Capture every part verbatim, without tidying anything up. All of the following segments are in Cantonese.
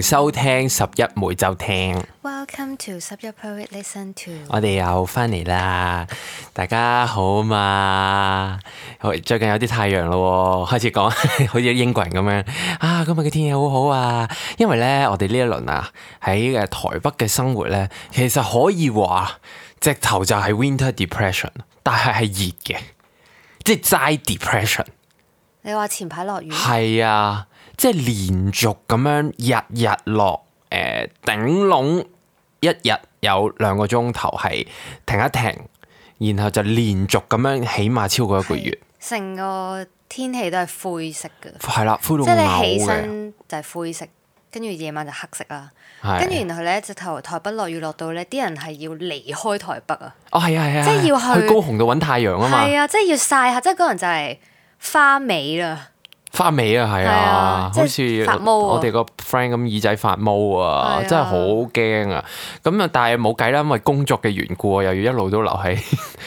迎收聽十一每週聽。Welcome to 十一 Poet Listen To。我哋又翻嚟啦，大家好嘛？最近有啲太陽咯，開始講好似英國人咁樣啊！今日嘅天氣好好啊，因為咧我哋呢一輪啊喺誒台北嘅生活咧，其實可以話直頭就係 Winter Depression， 但係係熱嘅，即係齋 depression。你話前排落雨？係啊，即係連續咁樣日日落，誒、呃、頂籠一日有兩個鐘頭係停一停，然後就連續咁樣起碼超過一個月。成個天氣都係灰色嘅。係啦，灰到即係嘔你起嘅。身就係灰色，跟住夜晚就黑色啦。係跟住然後咧，直頭台北落雨落到咧，啲人係要離開台北啊。哦，係啊，係啊，即係要去去高雄度揾太陽啊嘛。係啊，即係要曬下，即係嗰人就係花尾啦。花尾啊，係啊，啊好即係似發毛啊我哋個 friend 咁耳仔發毛啊，係啊真係好驚啊！咁啊，但係冇計啦，因為工作嘅緣故啊，又要一路都留喺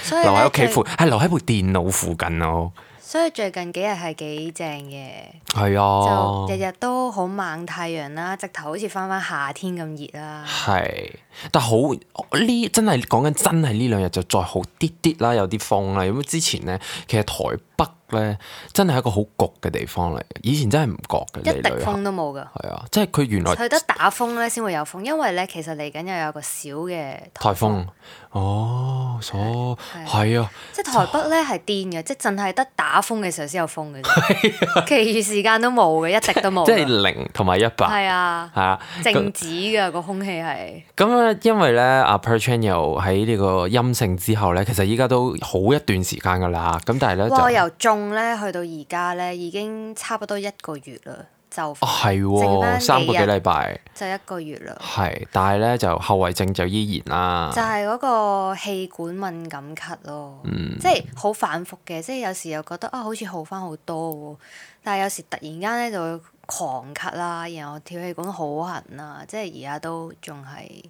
所以留喺咧屋企附，最係留喺部電腦附近咯。所以最近幾日係幾正嘅。係啊，就日日都好猛太陽啦，直頭好似翻翻夏天咁熱啦。係，但好呢真係講緊真係呢兩日就再好啲啲啦，有啲風啦。因為之前咧，其實台北咧真係一個好焗嘅地方嚟嘅，以前真係唔覺嘅。一滴風都冇㗎。係啊，即係佢原來佢得打風咧先會有風，因為咧其實嚟緊又有個小嘅颱風。哦，所係啊，即係台北咧係癲嘅，即係淨係得打風嘅時候先有風嘅啫，其餘時間都冇嘅，一滴都冇。即係零同埋一百。係啊，係啊，靜止嘅個空氣係。咁咧，因為咧，阿 Perchan 又喺呢個陰性之後咧，其實依家都好一段時間噶啦。咁但係咧，哇！就由種咧去到而家咧，已經差不多一個月啦，就哦係剩喎，返三個幾幾日禮拜。就一個月啦。係，但係咧就後遺症就依然啦。就係嗰個氣管敏感咳咯，嗯即係好反覆嘅，即係有時又覺得啊好似好翻好多喎，但係有時突然間咧就會狂咳啦，然後跳氣管好痕啊，即係而家都仲係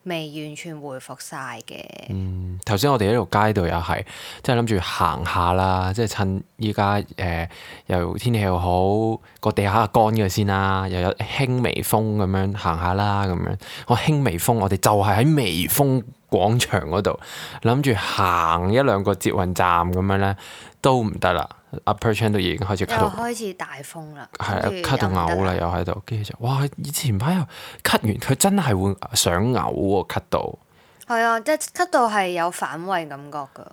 未完全恢復晒嘅。嗯，頭先我哋喺條街度又係，即係諗住行下啦，即係趁依家誒又天氣又好，個地下乾嘅先啦，又有輕微風咁樣行下啦，咁樣我輕微風，我哋就係喺微風廣場嗰度諗住行一兩個捷運站咁樣咧，都唔得啦。阿 Perchan 都已經開始又咳到，開始大風啦，係啊跟住咳到又唔得嘔啦，又喺度，跟住就哇！以前排又咳完，佢真係會想嘔喎，咳到係啊，即係咳到係有反胃感覺㗎，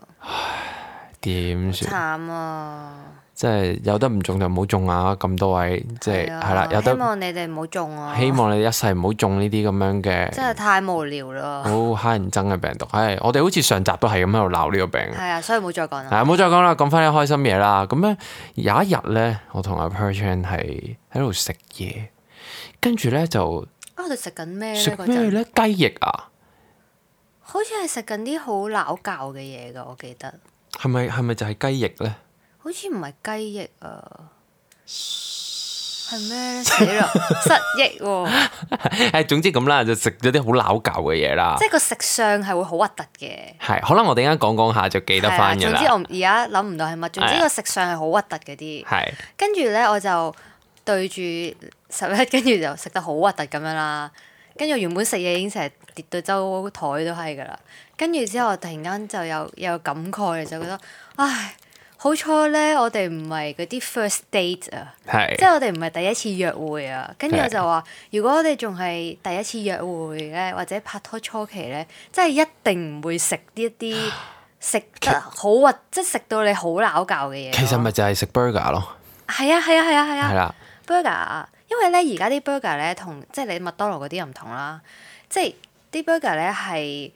點算？慘啊！即係有得唔中就唔好中啊！咁多位即係係啊係啦，有希得望你哋唔好中啊！希望你一世唔好中呢啲咁樣嘅真係太無聊啦。好乞人憎嘅病毒。係我哋好似上集都係咁喺度鬧呢個病。係啊，所以唔好再講啦。係唔好再講啦，講翻啲開心嘢啦。咁咧有一日咧，我同阿 Perchan 係喺度食嘢，跟住咧就啊，我哋食緊咩咧？食嗰陣咩咧？雞翼啊？好似係食緊啲好撈教嘅嘢㗎，我記得。係咪係咪就係雞翼咧？好似唔係雞翼啊，係咩咧？死啦，失憶喎！誒，總之咁啦，就食咗啲好撈教嘅嘢啦即。係個食相係會好核突嘅。係，可能我哋陣間講講下就記得翻㗎係啊總之啦。我而家諗唔到係乜，總之個食相係好核突嗰啲。係跟住咧，我就對住十一，跟住就食得好核突咁樣啦。跟住原本食嘢已經成日跌到周台都係㗎啦。跟住之後，突然間就有有感慨，就覺得唉。好彩咧，我哋唔係嗰啲 first date 啊，係即係我哋唔係第一次約會啊。跟住係我就話，如果我哋仲係第一次約會咧，或者拍拖初期咧，即係一定唔會食呢一啲食得好核，即係食到你好撈教嘅嘢咯。其實咪就係食 burger 咯。係啊係啊係啊係啊係啦， burger，因為咧而家啲 burger 咧同即係你麥當勞嗰啲又唔同啦，即係啲 burger 咧係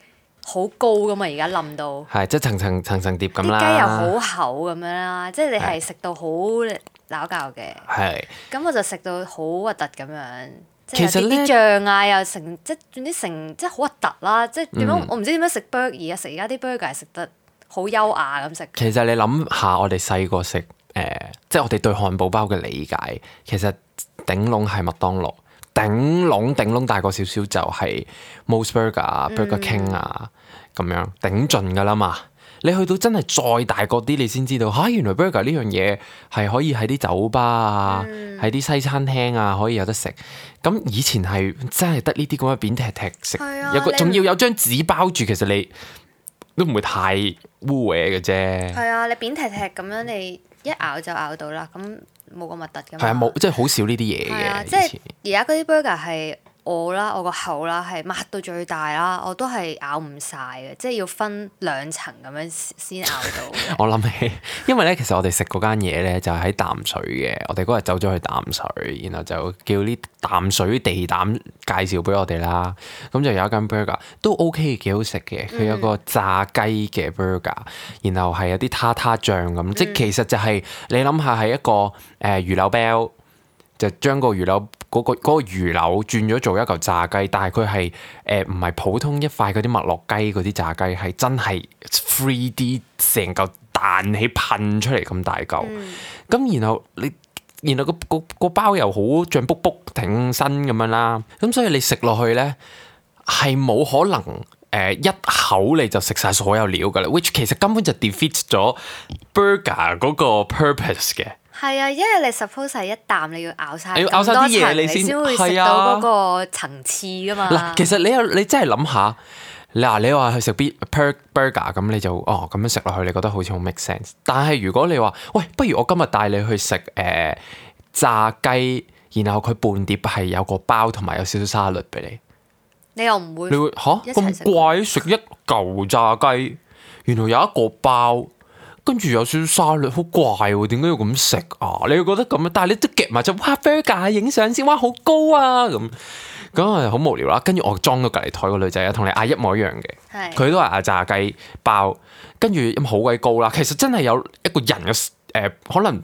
好高噶嘛，而家冧到。係即係層層層層疊咁啦。啲雞又好厚咁樣啦，即係你係食到好撈教嘅。係咁我就食到好核突咁樣，即其實呢係有啲醬啊，又成即係總之成即係好核突啦，即係點樣？嗯我唔知點樣食 burger 而家食而家啲 burger 係食得好優雅咁食。其實你諗下，我哋細個食誒，即係我哋對漢堡包嘅理解，其實頂籠係麥當勞，頂籠頂籠大個少少就係 Mos Burger 啊、Burger King 啊咁樣頂盡㗎啦嘛。你去到真係再大個啲，你先知道嚇、啊，原來 burger 呢樣嘢係可以喺啲酒吧啊，喺啲、嗯、西餐廳啊可以有得食。咁以前係真係得呢啲咁嘅扁踢踢食，啊、有個仲要有張紙包住，其實你都唔會太污穢嘅啫。係啊，你扁踢踢咁樣，你一咬就咬到啦，咁冇咁核突㗎嘛。係啊，冇即係好少呢啲嘢嘅。啊、即係而家嗰啲 burger 係。我啦，我個口啦係擘到最大啦，我都係咬唔晒嘅，即係要分兩層咁樣先咬到。我諗起，因為咧，其實我哋食嗰間嘢咧就係喺淡水嘅，我哋嗰日走咗去淡水，然後就叫啲淡水地膽介紹俾我哋啦。咁就有一間 burger 都 OK， 幾好食嘅。佢有個炸雞嘅 burger，然後係有啲塔塔醬咁，嗯、即係其實就係、是、你諗下係一個誒、呃、魚柳包，就將個魚柳。嗰、那個嗰、那個魚柳轉咗做一嚿炸雞，但係佢係誒唔係普通一塊嗰啲麥樂雞嗰啲炸雞，係真係 three D 成嚿彈起噴出嚟咁大嚿。咁、嗯、然後你然後、那個個個包又好脹卜卜挺身咁樣啦。咁所以你食落去咧係冇可能誒、呃、一口你就食晒所有料㗎啦。which 其實根本就 defeat 咗 burger 嗰個 purpose 嘅。係啊，因為你 suppose 係一啖你要咬晒，你要咬晒啲嘢你先會食到嗰個層次噶嘛。嗱，其實你又你真係諗下，嗱你話去食 burger 咁你就哦咁樣食落去，你覺得好似好 make sense。但係如果你話喂，不如我今日帶你去食誒、呃、炸雞，然後佢半碟係有個包同埋有少少沙律俾你，你又唔會？你會吓咁怪食一嚿炸雞，原來有一個包。跟住有少少沙律，好怪喎！點解要咁食啊？你會覺得咁樣，但係你都夾埋就哇 burger 影相先，哇好高啊咁，咁係好無聊啦。跟住我裝到隔離台個女仔啊，同你嗌一模一樣嘅，佢是都係嗌炸雞包，跟住咁好鬼高啦。其實真係有一個人嘅誒、呃，可能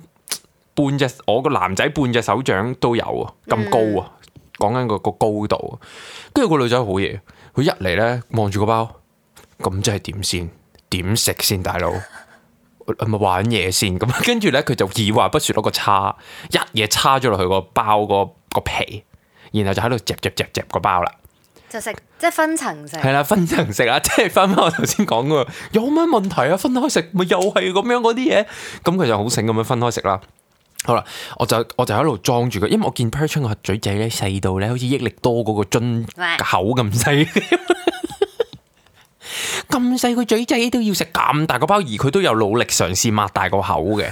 半隻我個男仔半隻手掌都有啊，咁高啊！講緊個個高度，跟住個女仔好嘢，佢一嚟咧望住個包，咁即係點先？點食先，大佬？係咪玩嘢先咁？跟住咧，佢就二話不說攞個叉，一嘢叉咗落去個包個個皮，然後就喺度夾夾夾夾個包啦。就食即係分層食。係啦，分層食啊！即係翻翻我頭先講嘅，有乜問題啊？分開食咪又係咁樣嗰啲嘢。咁佢就好醒咁樣分開食啦。好啦，我就我就喺度裝住佢，因為我見 Perchun 個嘴仔咧細到咧，好似益力多嗰個樽口咁細。咁細個嘴仔都要食咁大個包，而佢都有努力嘗試擘大個口嘅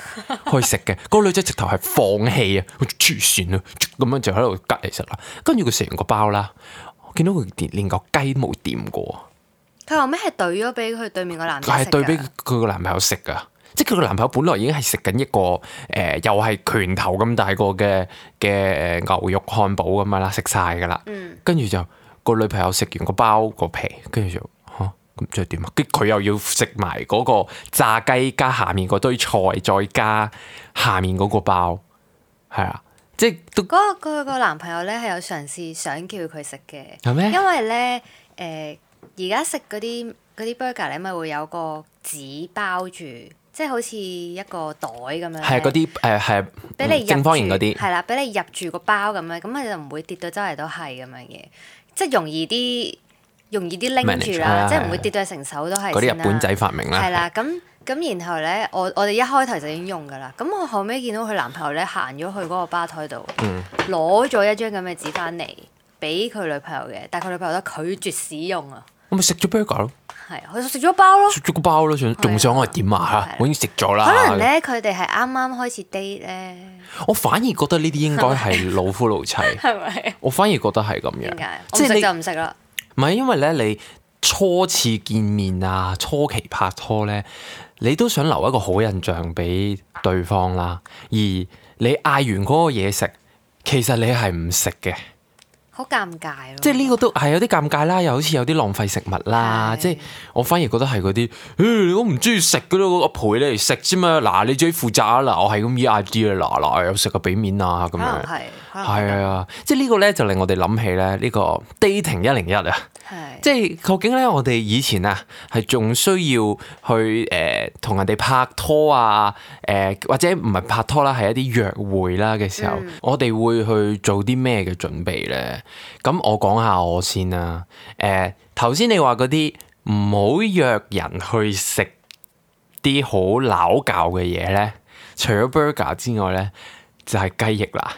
去食嘅。嗰個女仔直頭係放棄啊，黐線啊，咁樣就喺度隔嚟食啦。跟住佢食完個包啦，我見到佢連連個雞都冇掂過。佢後尾係懟咗俾佢對面個男仔食。係對俾佢個男朋友食噶，即係佢個男朋友本來已經係食緊一個誒、呃，又係拳頭咁大個嘅嘅牛肉漢堡咁樣啦，食晒噶啦。跟住、嗯、就個女朋友食完個包個皮，跟住就。咁即係點啊？跟佢又要食埋嗰個炸雞加下面嗰堆菜，再加下面嗰個包，係啊，即係都嗰個佢個男朋友咧係有嘗試想叫佢食嘅，係咩？因為咧誒而家食嗰啲嗰啲 burger 咧咪會有個紙包住，即係好似一個袋咁樣，係嗰啲誒係俾你正方形嗰啲，係啦，俾你入住個包咁樣，咁佢就唔會跌到周圍都係咁樣嘅，即係容易啲。容易啲拎住啦，即係唔會跌到成手都係。嗰啲日本仔發明啦。係啦，咁咁然後咧，我我哋一開頭就已經用噶啦。咁我後尾見到佢男朋友咧行咗去嗰個吧台度，攞咗、嗯、一張咁嘅紙翻嚟俾佢女朋友嘅，但係佢女朋友都拒絕使用啊。我咪食咗 burger 咯。係，佢食咗包咯。食咗個包咯，仲仲想我係點啊？我已經食咗啦。可能咧，佢哋係啱啱開始 date 咧。我反而覺得呢啲應該係老夫老妻。係咪？我反而覺得係咁樣。點解？我唔食就唔食啦。唔係，因為咧，你初次見面啊，初期拍拖咧，你都想留一個好印象俾對方啦。而你嗌完嗰個嘢食，其實你係唔食嘅，好尷尬咯。即係呢個都係有啲尷尬啦，又好似有啲浪費食物啦。即係我反而覺得係嗰啲，誒，我唔中意食噶咯，我陪你嚟食啫嘛。嗱，你自己負責啊。嗱，我係咁依 I D 啊。嗱嗱，有食個俾面啊，咁樣係係啊。即係呢個咧就令我哋諗起咧呢個 dating 一零一啊。係，即係究竟咧，我哋以前啊係仲需要去誒同、呃、人哋拍拖啊，誒、呃、或者唔係拍拖啦，係一啲約會啦嘅時候，嗯、我哋會去做啲咩嘅準備咧？咁我講下我先啦。誒頭先你話嗰啲唔好約人去食啲好撈教嘅嘢咧，除咗 burger 之外咧，就係雞翼啦。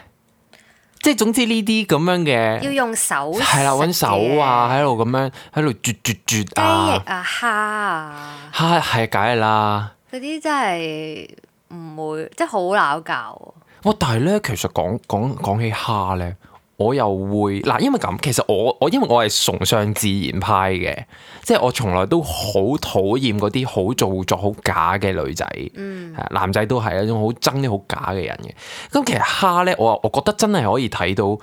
即係總之呢啲咁樣嘅，要用手係啦，揾手啊，喺度咁樣喺度啜啜啜啊，雞翼啊，蝦啊，蝦係梗係啦。嗰啲真係唔會，即係好撈教。哇！但係咧，其實講講講起蝦咧，我又會嗱，因為咁，其實我我因為我係崇尚自然派嘅，即係我從來都好討厭嗰啲好做作、好假嘅女仔，嗯，男仔都係一種好憎啲好假嘅人嘅。咁其實蝦咧，我我覺得真係可以睇到誒、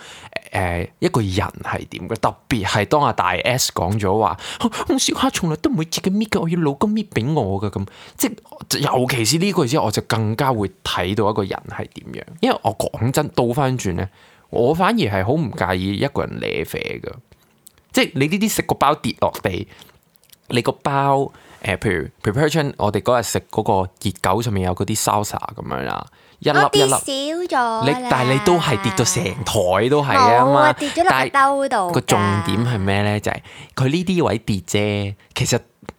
呃、一個人係點嘅，特別係當阿大 S 講咗話，我小蝦從來都唔會自己搣嘅，我要老公搣俾我嘅咁，即係尤其是呢句之後，我就更加會睇到一個人係點樣，因為我講真倒翻轉咧。我反而係好唔介意一個人舐啡㗎，即係你呢啲食個包跌落地，你個包誒、呃，譬如 preparation，我哋嗰日食嗰個熱狗上面有嗰啲 salsa 咁樣啦，一粒一粒少咗，你但係你都係跌到成台都係啊嘛，跌咗落個兜度。個重點係咩咧？就係佢呢啲位跌啫，其實。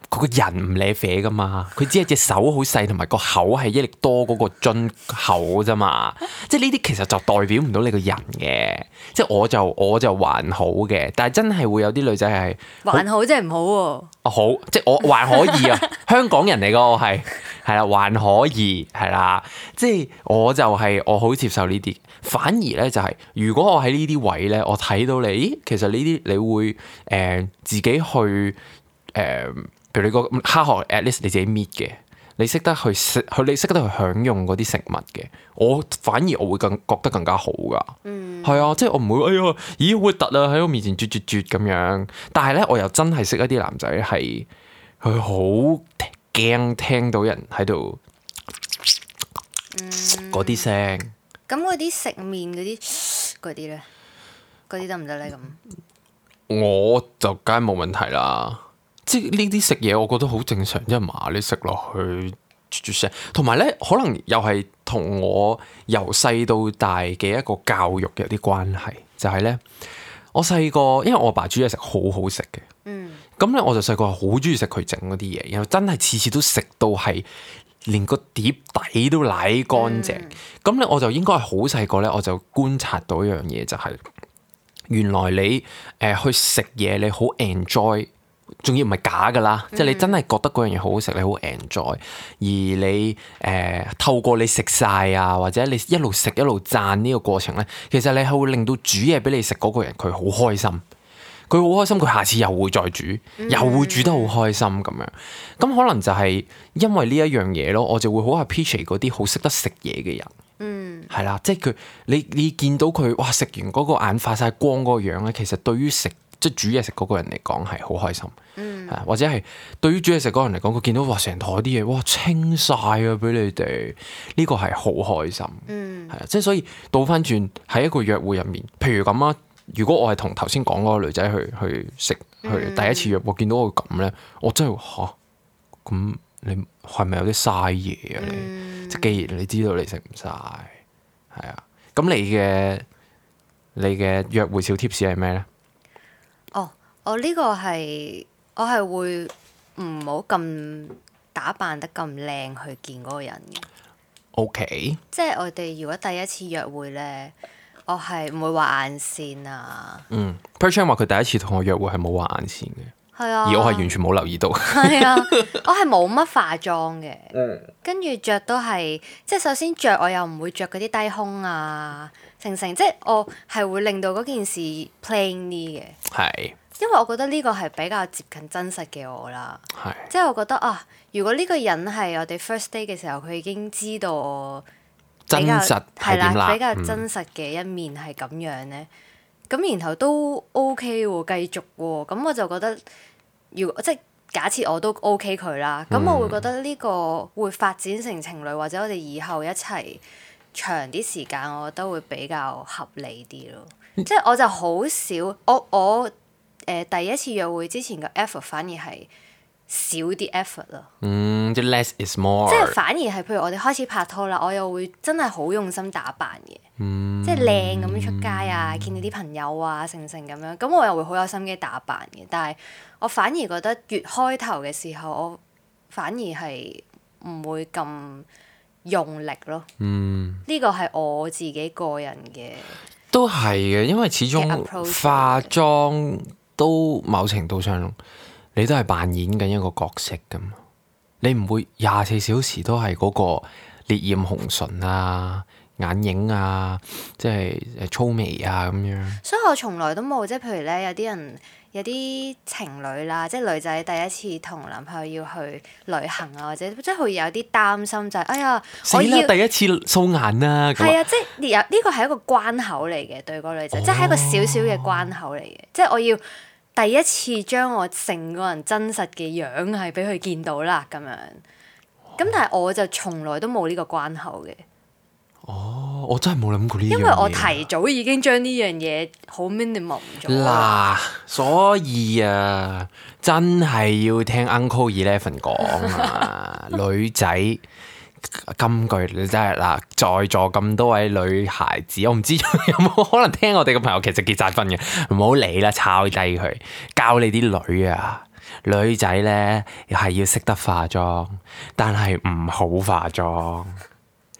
佢個人唔舐啡噶嘛，佢只係隻手好細，同埋個口係益力多嗰個樽口啫嘛。即係呢啲其實就代表唔到你個人嘅。即係我就我就還好嘅，但係真係會有啲女仔係還好即係唔好喎。啊好，即係我還可以啊，香港人嚟噶我係係啦，還可以係啦。即係我就係我好接受呢啲，反而咧就係如果我喺呢啲位咧，我睇到你，咦，其實呢啲你會誒、呃、自己去誒。呃譬如你個蝦殼 at least 你自己搣嘅，你識得去食，佢你識得去享用嗰啲食物嘅，我反而我會更覺得更加好噶。嗯，係啊，即係我唔會哎呀，咦好核突啊喺我面前啜啜啜咁樣。但係咧，我又真係識一啲男仔係佢好驚聽到人喺度嗰啲聲。咁嗰啲食麵嗰啲嗰啲咧，嗰啲得唔得咧？咁我就梗係冇問題啦。即係呢啲食嘢，我覺得好正常，即係麻你食落去啜啜聲，同埋咧可能又係同我由細到大嘅一個教育有啲關係，就係咧我細個，因為我阿爸煮嘢食好好食嘅，嗯，咁咧我就細個好中意食佢整嗰啲嘢，然後真係次次都食到係連個碟底都舐乾淨，咁咧、嗯、我就應該係好細個咧，我就觀察到一樣嘢，就係原來你誒、呃、去食嘢，你好 enjoy。仲要唔係假噶啦，嗯、即係你真係覺得嗰樣嘢好好食，你好 enjoy，而你誒、呃、透過你食晒啊，或者你一路食一路讚呢個過程咧，其實你係會令到煮嘢俾你食嗰個人佢好開心，佢好開心，佢下次又會再煮，嗯、又會煮得好開心咁樣。咁可能就係因為呢一樣嘢咯，我就會好 appreciate 嗰啲好識得食嘢嘅人。嗯，係啦，即係佢你你見到佢哇食完嗰個眼發晒光嗰個樣咧，其實對於食即係煮嘢食嗰個人嚟講係好開心，嗯、或者係對於煮嘢食嗰個人嚟講，佢見到哇成台啲嘢哇清晒啊俾你哋，呢個係好開心，係啊、嗯，即係所以倒翻轉喺一個約會入面，譬如咁啊，如果我係同頭先講嗰個女仔去去食去第一次約會，見到佢咁咧，我真係吓咁你係咪有啲嘥嘢啊你？嗯、即係既然你知道你食唔晒，係啊，咁你嘅你嘅約會小 tips 係咩咧？哦，我呢個係我係會唔好咁打扮得咁靚去見嗰個人嘅。OK，即係我哋如果第一次約會咧，我係唔會畫眼線啊。嗯 Perchan 話佢第一次同我約會係冇畫眼線嘅，係啊，而我係完全冇留意到。係啊，我係冇乜化妝嘅，跟住着都係即係首先着我又唔會着嗰啲低胸啊。成成即係我係會令到嗰件事 plain 啲嘅，係是，因為我覺得呢個係比較接近真實嘅我啦，係是，即係我覺得啊，如果呢個人係我哋 first day 嘅時候，佢已經知道我真實係點啦，比較真實嘅一面係咁樣咧，咁、嗯、然後都 OK 喎，繼續喎，咁我就覺得，如果即係假設我都 OK 佢啦，咁我會覺得呢個會發展成情侶，或者我哋以後一齊長啲時間，我覺得會比較合理啲咯。嗯、即係我就好少，我我誒、呃、第一次約會之前嘅 effort 反而係少啲 effort 咯。嗯，即係 less is more。即係反而係譬如我哋開始拍拖啦，我又會真係好用心打扮嘅，嗯、即係靚咁樣出街啊，見到啲朋友啊，成成咁樣，咁我又會好有心機打扮嘅。但係我反而覺得越開頭嘅時候，我反而係唔會咁用力咯。嗯，呢個係我自己個人嘅。都係嘅，因為始終 approach 化妝都某程度上你都係扮演緊一個角色㗎嘛。你唔會廿四小時都係嗰個烈焰紅唇啊、眼影啊，即係誒粗眉啊咁樣。所以我從來都冇，即係譬如咧，有啲人有啲情侶啦，即係女仔第一次同男朋友要去旅行啊，或者即係會有啲擔心就係、是，哎呀，死我要啦！第一次素顏啊，咁係啊，即係有呢個係一個關口嚟嘅，對個女仔，哦即係一個小小嘅關口嚟嘅，即係我要第一次將我成個人真實嘅樣係俾佢見到啦，咁樣。咁但係我就從來都冇呢個關口嘅。哦，我真係冇諗過呢樣嘢。因為我提早已經將呢樣嘢好 minimum 咗。嗱，所以啊，真係要聽 Uncle Eleven 講啊，女仔金句你真係嗱，在座咁多位女孩子，我唔知有冇可能聽我哋嘅朋友其實結晒婚嘅，唔好理啦，抄低佢，教你啲女啊。女仔咧係要識得化妝，但係唔好化妝，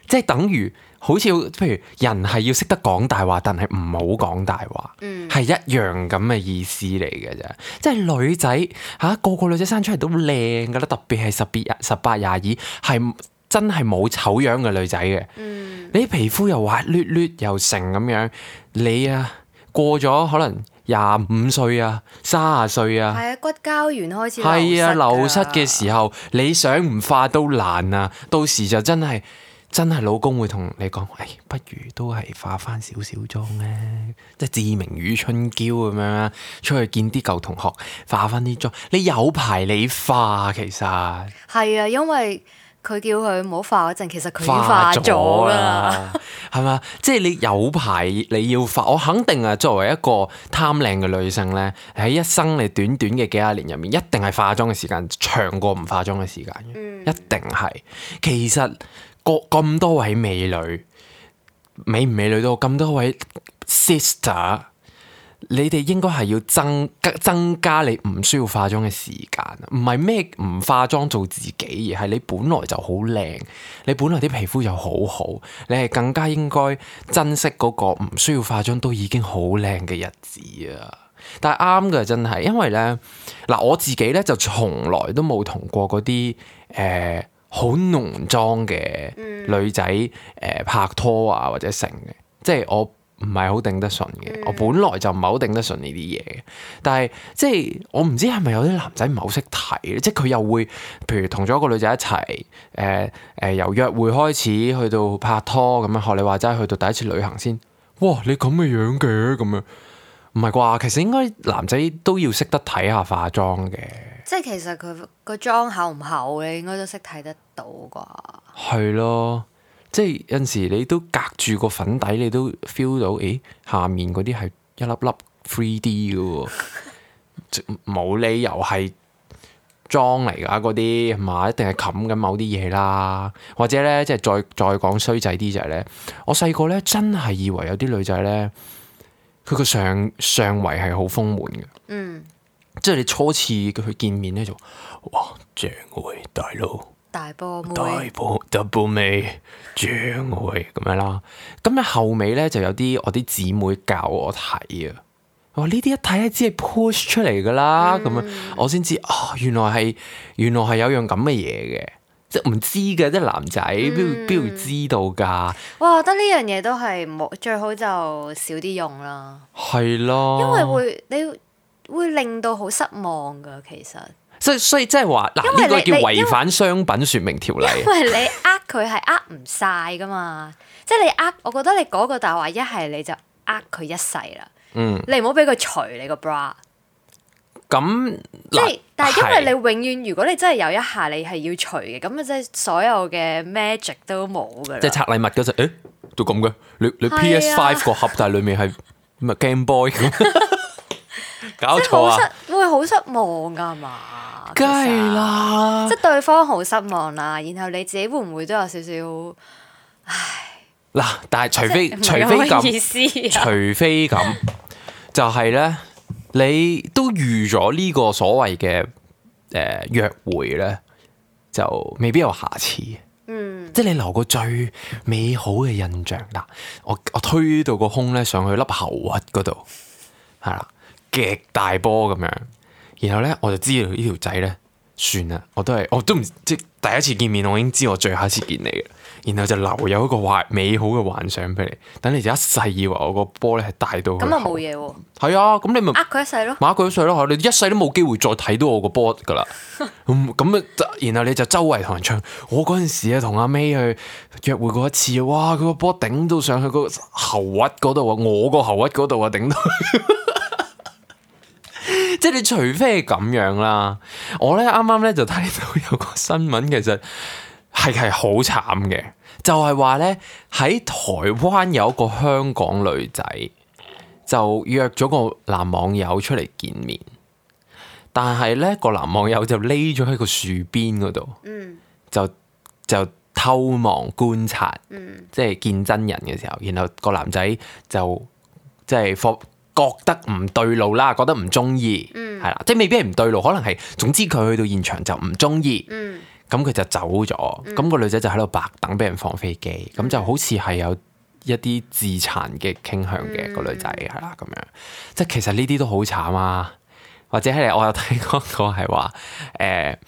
即係等於好似譬如人係要識得講大話，但係唔好講大話，係、嗯、一樣咁嘅意思嚟嘅啫。即係女仔嚇、啊、個個女仔生出嚟都靚噶啦，特別係十別十八廿二係真係冇醜樣嘅女仔嘅。嗯、你皮膚又滑捋捋又成咁樣，你啊過咗可能廿五歲啊，三十歲啊，係啊，骨膠原開始係啊，流失嘅時候，你想唔化都難啊！到時就真係真係老公會同你講，誒、哎，不如都係化翻少少妝咧，即係志明與春嬌咁樣啊，出去見啲舊同學化翻啲妝，你有排你化其實係啊，因為佢叫佢唔好化嗰陣，其實佢已經化咗啦，係嘛？即係你有排你要化，我肯定啊，作為一個貪靚嘅女性咧，喺一生你短短嘅幾廿年入面，一定係化妝嘅時間長過唔化妝嘅時間嘅，嗯、一定係。其實個咁多位美女，美唔美女都咁多位 sister。你哋應該係要增增加你唔需要化妝嘅時間，唔係咩唔化妝做自己，而係你本來就好靚，你本來啲皮膚又好好，你係更加應該珍惜嗰個唔需要化妝都已經好靚嘅日子啊！但係啱嘅真係，因為咧嗱，我自己咧就從來都冇同過嗰啲誒好濃妝嘅女仔誒、呃、拍拖啊或者成嘅，即係我。唔係好頂得順嘅，嗯、我本來就唔係好頂得順呢啲嘢嘅。但係即係我唔知係咪有啲男仔唔係好識睇咧，即係佢又會譬如同咗一個女仔一齊，誒、呃、誒、呃、由約會開始去到拍拖咁樣，學你話齋去到第一次旅行先，哇你咁嘅樣嘅咁樣，唔係啩？其實應該男仔都要識得睇下化妝嘅。即係其實佢個妝厚唔厚嘅，應該都識睇得到啩。係咯。即係有陣時你都隔住個粉底，你都 feel 到，誒下面嗰啲係一粒粒 three D 嘅喎，冇理由係妝嚟㗎嗰啲係嘛？一定係冚緊某啲嘢啦。或者咧，即係再再講衰仔啲就係咧，我細個咧真係以為有啲女仔咧，佢個上上圍係好豐滿嘅。嗯，即係你初次佢見面咧就，哇正喎大佬！大波妹，大波 double 妹，正喎咁樣啦。咁咧後尾咧就有啲我啲姊妹教我睇啊。我話呢啲一睇咧只係 push 出嚟噶啦，咁、嗯、樣我先知哦，原來係原來係有樣咁嘅嘢嘅，即係唔知嘅，即係男仔邊邊會知道噶？哇，我覺得呢樣嘢都係冇最好就少啲用啦。係咯，因為會你會令到好失望噶，其實。所以所以即係話嗱，呢個叫違反商品說明條例。因為你呃佢係呃唔晒噶嘛，即係你呃，我覺得你嗰個大話一係你就呃佢一世啦。嗯，你唔好俾佢除你個 bra。咁即係，但係因為你永遠，如果你真係有一下你係要除嘅，咁啊即係所有嘅 magic 都冇噶啦。即係拆禮物嗰陣，誒都咁嘅，你你 P S Five 個盒，但係裡面係咪 Game Boy 咁？搞錯啊！會好失望噶嘛？梗係啦，即係對方好失望啦，然後你自己會唔會都有少少唉？嗱，但係除非除非咁，除非咁，就係咧，你都預咗呢個所謂嘅誒約會咧，就未必有下次。嗯，即係你留個最美好嘅印象嗱，我我推到個胸咧上去粒喉核嗰度，係啦，極大波咁樣，然後咧我就知道呢條仔咧算啦，我都係我都唔即係第一次見面，我已經知我最後一次見你嘅，然後就留有一個幻美好嘅幻想俾你，等你就一世以為我個波咧係大到咁啊冇嘢喎，係啊，咁你咪呃佢一世咯，馬佢一世咯，你一世都冇機會再睇到我個波噶啦。咁咁啊，然後你就周圍同人唱。我嗰陣時啊，同阿 May 去約會過一次，哇！佢個波頂到上去個喉核嗰度啊，我個喉核嗰度啊，頂到。即係你除非係咁樣啦，我咧啱啱咧就睇到有個新聞，其實係係好慘嘅，就係話咧喺台灣有一個香港女仔就約咗個男網友出嚟見面，但係咧個男網友就匿咗喺個樹邊嗰度，嗯，就就偷望觀察，嗯，即係見真人嘅時候，然後個男仔就即係覺得唔對路啦，覺得唔中意，係啦、嗯，即係未必係唔對路，可能係總之佢去到現場就唔中意，咁佢、嗯、就走咗，咁、嗯、個女仔就喺度白等俾人放飛機，咁、嗯、就好似係有一啲自殘嘅傾向嘅、嗯、個女仔係啦，咁樣，即係其實呢啲都好慘啊，或者係我有睇過個係話，誒、呃、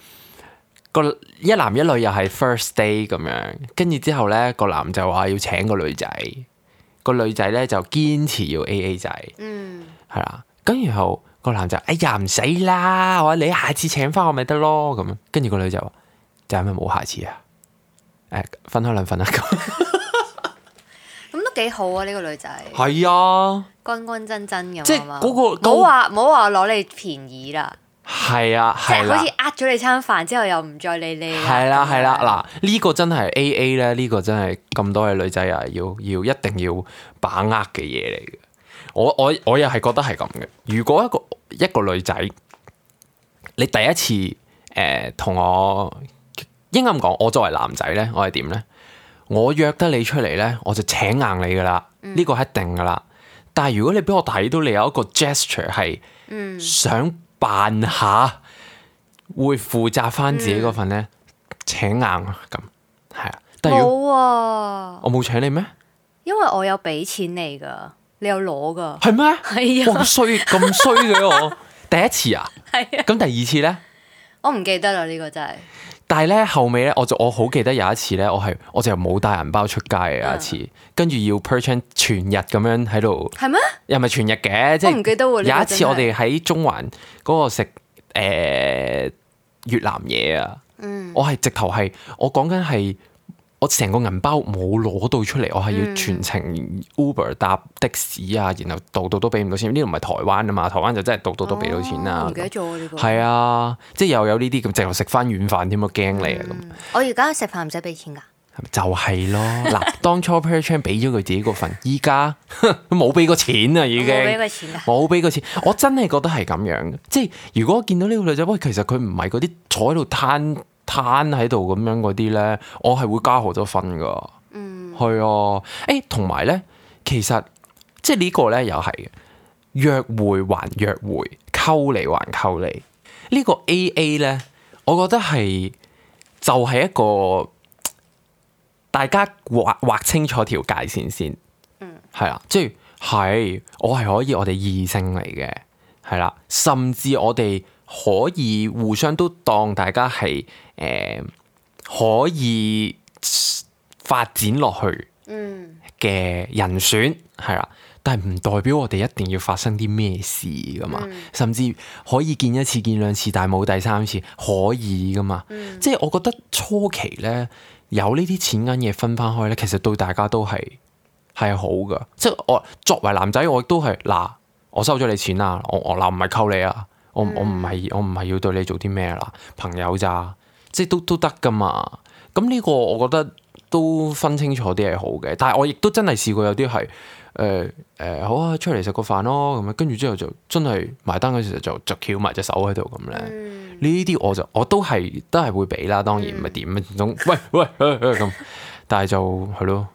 個一男一女又係 first day 咁樣，跟住之後咧個男就話要請個女仔。個女仔咧就堅持要 A A 制，嗯，係啦，咁然後個男就哎呀唔使啦，我話你下次請翻我咪得咯，咁樣，跟住個女就話就係咪冇下次啊？誒，分開兩份啊，咁，咁都幾好啊呢、這個女仔，係啊，乾乾真真咁，即係嗰、嗰個，唔好話唔好話攞你便宜啦。係啊，即係好似呃咗你餐飯之後又唔再理你啦。係啦係啦，嗱呢個真係 A A 咧，呢個真係咁多嘅女仔啊，要要一定要把握嘅嘢嚟嘅。我我我又係覺得係咁嘅。如果一個一個女仔，你第一次誒同、呃、我應該咁講，我作為男仔咧，我係點咧？我約得你出嚟咧，我就請硬你噶啦，呢、嗯、個係一定噶啦。但係如果你俾我睇到你有一個 gesture 係想扮下會負責翻自己嗰份咧，嗯、請硬啊咁，係啊。冇啊！我冇請你咩？因為我有俾錢你噶，你有攞噶。係咩？係啊！咁衰咁衰嘅我第一次啊，係啊。咁第二次咧，我唔記得啦，呢、這個真係。但係咧後尾咧，我就我好記得有一次咧，我係我就冇帶銀包出街嘅有一次，跟住、嗯、要 percent 全日咁樣喺度。係咩？又唔係全日嘅，即係唔記得喎。有一次我哋喺中環嗰個食誒、呃、越南嘢啊，嗯、我係直頭係我講緊係。我成個銀包冇攞到出嚟，我係要全程 Uber 搭的士啊，然後度度都俾唔到錢。呢度唔係台灣啊嘛，台灣就真係度度都俾到錢啦。唔記得咗呢個。係啊，即係又有呢啲咁，直頭食翻軟飯添啊，驚你啊咁。我而家食飯唔使俾錢㗎。就係咯，嗱，當初 Perchan 俾咗佢自己嗰份，依家冇俾過錢啊，已經冇俾過錢啊，冇俾過錢。我真係覺得係咁樣，即係如果見到呢個女仔，喂，其實佢唔係嗰啲坐喺度攤。攤喺度咁樣嗰啲咧，我係會加好多分噶。嗯，係啊。誒，同埋咧，其實即係呢個咧又係嘅，約會還約會，溝你還溝你。呢個 A A 咧，我覺得係就係一個大家劃劃清楚條界線先。嗯，係啦，即係係我係可以我哋異性嚟嘅，係啦，甚至我哋。可以互相都當大家係誒、呃、可以發展落去嘅人選係啦，但係唔代表我哋一定要發生啲咩事噶嘛，嗯、甚至可以見一次見兩次，但係冇第三次可以噶嘛。嗯、即係我覺得初期咧有呢啲錢銀嘢分翻開咧，其實對大家都係係好噶。即係我作為男仔，我亦都係嗱，我收咗你錢啦，我我嗱唔係溝你啊。我我唔係我唔係要對你做啲咩啦，朋友咋，即係都都得噶嘛。咁呢個我覺得都分清楚啲係好嘅，但係我亦都真係試過有啲係誒誒好啊，出嚟食個飯咯咁樣，跟住之後就真係埋單嗰時就就翹埋隻手喺度咁咧。呢啲、嗯、我就我都係都係會俾啦，當然唔係點啊，總喂喂咁，但係就係咯，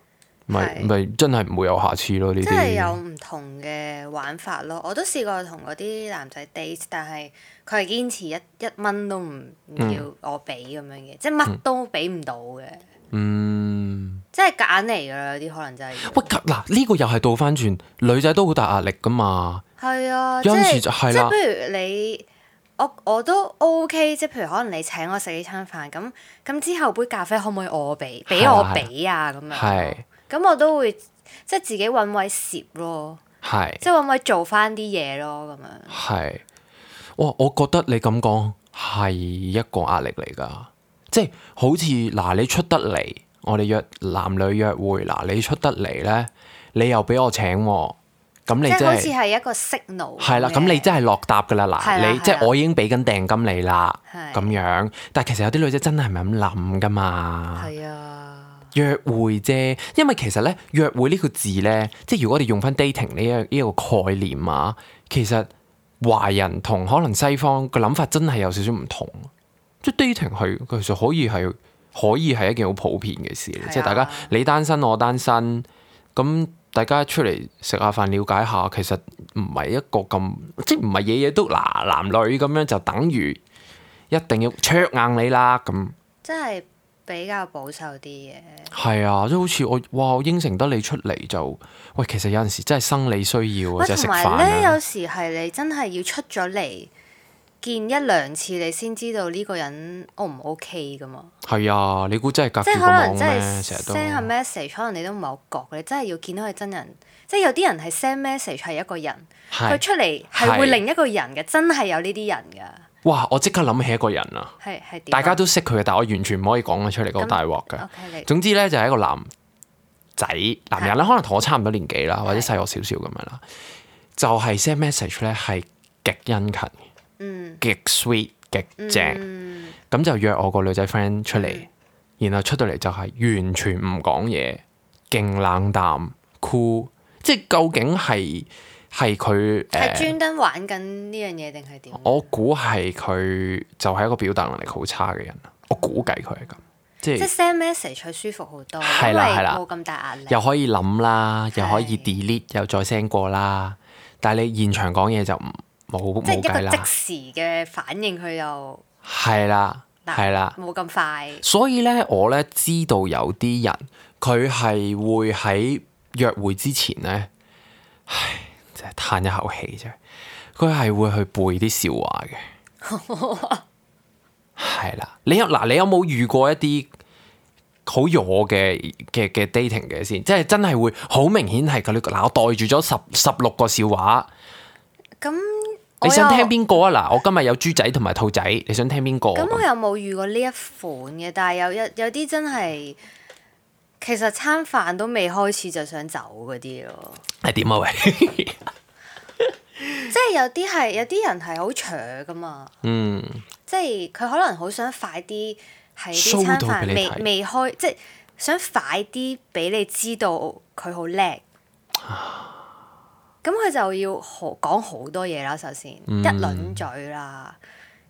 咪咪真係唔會有下次咯呢啲。即係有唔同嘅玩法咯。我都試過同嗰啲男仔 date，但係佢係堅持一一蚊都唔唔要我俾咁樣嘅，即係乜都俾唔到嘅。嗯，即係夾硬嚟㗎啦，有啲可能真係。喂，嗱呢個又係倒翻轉，女仔都好大壓力噶嘛。係啊，有陣時就係啦。即係譬如你。我我都 OK，即係譬如可能你請我食呢餐飯，咁咁之後杯咖啡可唔可以我俾，俾我俾啊咁樣。係。咁我都會即係自己揾位攝咯。係。即係揾位做翻啲嘢咯，咁樣。係。哇！我覺得你咁講係一個壓力嚟㗎，即係好似嗱你出得嚟，我哋約男女約會嗱你出得嚟咧，你又俾我請喎。咁你真係好似係一個 signal。係啦，咁你真係落搭噶啦，嗱，你即係我已經俾緊訂金你啦，咁樣。但係其實有啲女仔真係唔係咁諗噶嘛。係啊。約會啫，因為其實咧約會呢個字咧，即係如果我哋用翻 dating 呢一呢一個概念啊，其實華人同可能西方嘅諗法真係有少少唔同。即係 dating 係其實可以係可以係一件好普遍嘅事，即係大家你單身我單身咁。大家出嚟食下飯，了解下，其實唔係一個咁，即係唔係嘢嘢都嗱男女咁樣就等於一定要灼硬你啦咁。即係比較保守啲嘅。係啊，即係好似我哇，我應承得你出嚟就喂，其實有陣時真係生理需要啊，即係食飯啊。同埋咧，有時係你真係要出咗嚟見一兩次，你先知道呢個人 O 唔 OK 噶嘛？係啊，你估真係隔住個網咩？成日都 send 下 message，可能你都唔係好覺，你真係要見到佢真人。即係有啲人係 send message 係一個人，佢出嚟係會另一個人嘅，真係有呢啲人㗎。哇！我即刻諗起一個人啊，係係點？大家都識佢嘅，但係我完全唔可以講得出嚟，嗰大鑊㗎。Okay，總之咧，就係一個男仔男人啦，可能同我差唔多年紀啦，或者細我少少咁樣啦，就係 send message 咧係極殷勤。嗯，極 sweet 極正，咁、嗯、就約我個女仔 friend 出嚟，嗯、然後出到嚟就係完全唔講嘢，勁冷淡，cool，即係究竟係係佢係專登玩緊呢樣嘢定係點？我估係佢就係一個表達能力好差嘅人，我估計佢係咁，即係即係 send message 佢舒服好多，係啦係啦，冇咁大壓力，又可以諗啦，又可以 delete 又再 send 過啦，但係你現場講嘢就唔。冇即係一個即時嘅反應，佢又係啦，係啦，冇咁快。所以咧，我咧知道有啲人佢係會喺約會之前咧，唉，真係嘆一口氣啫。佢係會去背啲笑話嘅，係啦。你有嗱，你有冇遇過一啲好弱嘅嘅嘅 dating 嘅先？即係真係會好明顯係佢嗱，我袋住咗十十六個笑話咁。你想聽邊個啊？嗱，我今日有豬仔同埋兔仔，你想聽邊個？咁我又冇遇過呢一款嘅，但係有有有啲真係，其實餐飯都未開始就想走嗰啲咯。係點啊？喂，即係有啲係有啲人係好搶噶嘛。嗯。即係佢可能好想快啲喺啲餐飯未未開，即係想快啲俾你知道佢好叻。咁佢就要好講好多嘢啦，首先、嗯、一輪嘴啦，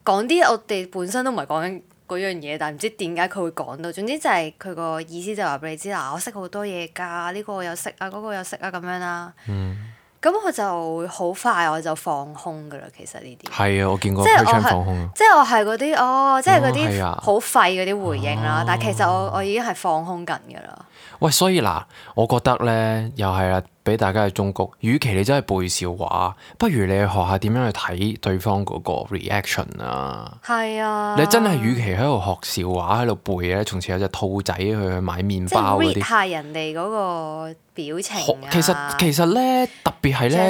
講啲我哋本身都唔係講緊嗰樣嘢，但係唔知點解佢會講到。總之就係佢個意思就話俾你知啦，我識好多嘢㗎，呢個我有識啊，嗰個有識啊咁樣啦。咁佢、嗯、就會好快我就放空㗎啦。其實呢啲係啊，我見過佢放空。即係我係嗰啲哦，即係嗰啲好廢嗰啲回應啦。哦、但係其實我我已經係放空緊㗎啦。喂，所以嗱，我覺得咧又係啦。俾大家嘅忠告，與其你真係背笑話，不如你去學下點樣去睇對方嗰個 reaction 啊！係啊！你真係與其喺度學笑話喺度背咧，從前有隻兔仔去買麵包嗰啲，即係 read 下人哋嗰個表情啊！其實其實咧，特別係咧，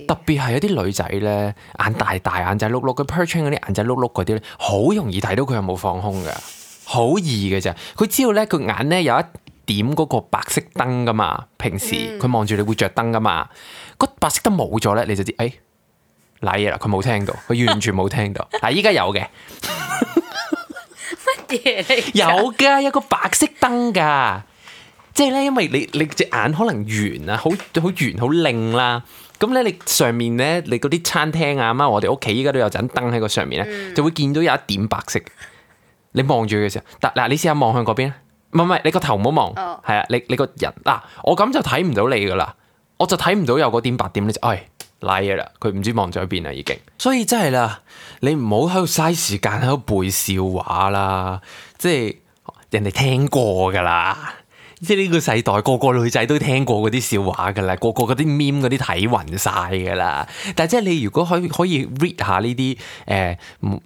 特別係有啲女仔咧，眼大大、眼仔碌碌，佢 perching 嗰啲眼仔碌碌嗰啲咧，好容易睇到佢有冇放空㗎，好易嘅咋！佢知道咧，佢眼咧有一點嗰個白色燈噶嘛，平時佢望住你會着燈噶嘛，個、嗯、白色燈冇咗咧，你就知誒，瀨嘢啦，佢冇聽到，佢完全冇聽到。嗱，依家有嘅，乜嘢嚟？有噶，有個白色燈噶，即係咧，因為你你隻眼可能圓啊，好好圓好靚啦，咁咧你上面咧，你嗰啲餐廳啊，咁我哋屋企依家都有盞燈喺個上面咧，嗯、就會見到有一點白色。你望住佢嘅時候，嗱嗱，你試下望向嗰邊。唔係唔係，你個頭唔好望，哦係啊，你你個人嗱，我咁就睇唔到你噶啦，我就睇唔到有個點白點，你就唉賴嘢啦，佢唔知望咗喺邊啦已經，所以真係啦，你唔好喺度嘥時間喺度背笑話啦，即係人哋聽過噶啦。即係呢個世代，個個女仔都聽過嗰啲笑話噶啦，個個嗰啲 meme 嗰啲睇暈晒噶啦。但係即係你如果可以可以 read 下呢啲誒